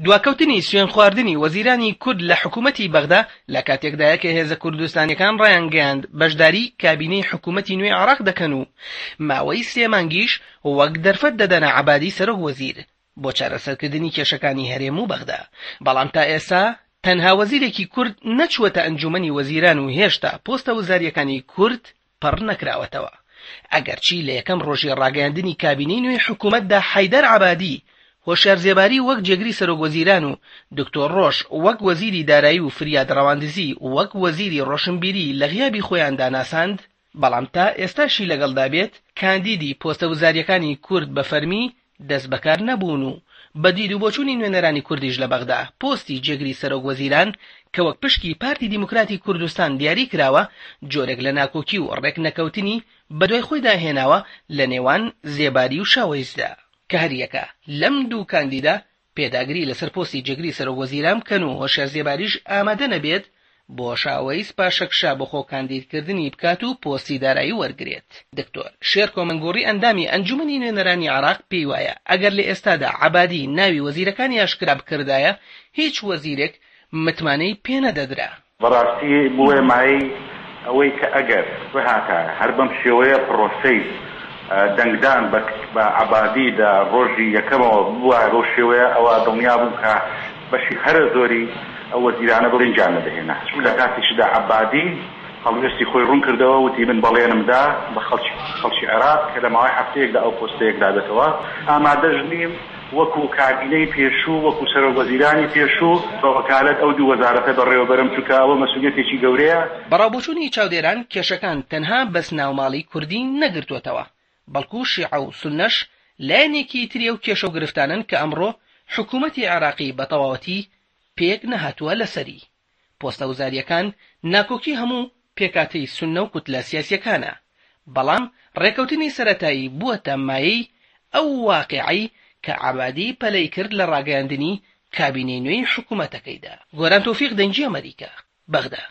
دواکەوتنی سوێندخواردنی وەزیرانی کورد لە حکوومەتی بەغدا لە کاتێکدایە کە هێزە کوردستانییەکان ڕایانگەیاند بەشداری کابینەی حکوومەتی نوێی عێراق دەکەن و ماوەی سێ مانگیش وەک دەرفەت دەدەنە عەبادی سەرۆک وەزیر بۆ چارەسەرکردنی کێشەکانی هەرێم و بەغدا، بەڵام تا ئێستا تەنها وەزیرێکی کورد نەچووەتە ئەنجوومەنی وەزیران و هێشتا پۆستە وزارییەکانی کورد پڕ نەکراوەتەوە. ئەگەرچی لە یەکەم ڕۆژی ڕاگەیاندنی کابینەی نوێی حکوومەتدا حەیدەر عەبادی، هۆشیار زێباری وەک جێگری سەرۆکوەزیران و دکتۆر ڕۆژ وەک وەزیری دارایی و فریاد ڕەواندزی وەک وەزیری ڕۆشنبیری لە غیابی خۆیاندا ناساند، بەڵام تا ئێستاشی لەگەڵدا بێت کاندیدی پۆستە وزارییەکانی کورد بە فەرمی دەستبەکار نەبوون و بە دید و بۆچوونی نوێنەرانی کوردیش لە بەغدا پۆستی جێگری سەرۆک وەزیران کە وەک پشکی پارتی دیموکراتی کوردستان دیاری کراوە جۆرێک لە ناکۆکی و ڕێکنەکەوتنی بەدوای خۆیدا هێناوە لە نێوان زێباری و شاوەیسدا کە هەریەکە لەم دوو کاندیدە پێداگری لەسەر پۆستی جێگری سەرۆک وەزیران بکەن و هۆشیار زێباریش ئامادە نەبێت بۆ شاوەیس پاشەکشە بۆ خۆ کاندیدکردنی بکات و پۆستی دارایی وەرگرێت. دکتۆر شێرکۆ مەنگوڕی ئەندامی ئەنجومەنی نوێنەرانی عێراق پێی وایە ئەگەر لە ئێستادا عەبادی ناوی وەزیرەکانی ئاشکرا بکردایە هیچ وەزیرێک متمانەی پێنەدەدرا. بەڕاستی بووە مایەی ئەوەی کە ئەگەر بهاتایە هەر بەم شێوەیە پڕۆسەی دەنگدان بە عەبادی لە ڕۆژی یەکەمەوە ببوایە بەو شێوەیە ئەوا دڵنیا بووم کە بەشی هەرە زۆری ئەو وەزیرانە برنجیان نەدەهێنا چونکە لە کاتێکیشدا عەبادی هەڵوێستی خۆی ڕوون کردەوە وتی من بەڵێنم دا بە خەڵکی خەڵکی عێراق کە لە ماوەی هەفتەیەکدا ئەو پۆستە یەکلا بێتەوە ئامادەش نیم وەکو کابینەی پێشوو وەکو سەرۆک وەزیرانی پێشوو بە وەکالەت ئەو دوو وەزارەتە بەڕێوەبەرم چونکە ئەوە مەسئولیەتێکی گەورەیە. بە ڕاوبۆچوونی چاودێران کێشەکان تەنها بەس ناوماڵی کوردی نەگرتووەتەوە، بەڵکو شیعە و سوننەش لایەنێکی تری ئەو کێشە و گرفتانەن کە ئەمڕۆ حکوومەتی عێراقی بە تەواوەتی پێک نەهاتووە لەسەری. پۆستە وزارییەکان ناکۆکی هەموو پێکهاتەی سوننە و کوتلە سیاسییەکانە، بەڵام ڕێکەوتنی سەرەتایی بووەتە مایەی ئەو واقیعەی کە عەبادی پەلەی کرد لە ڕاگەیاندنی کابینەی نوێی حکومەتەکەیدا. گۆران تۆفیق دەنگی ئەمەریکا، بەغدا.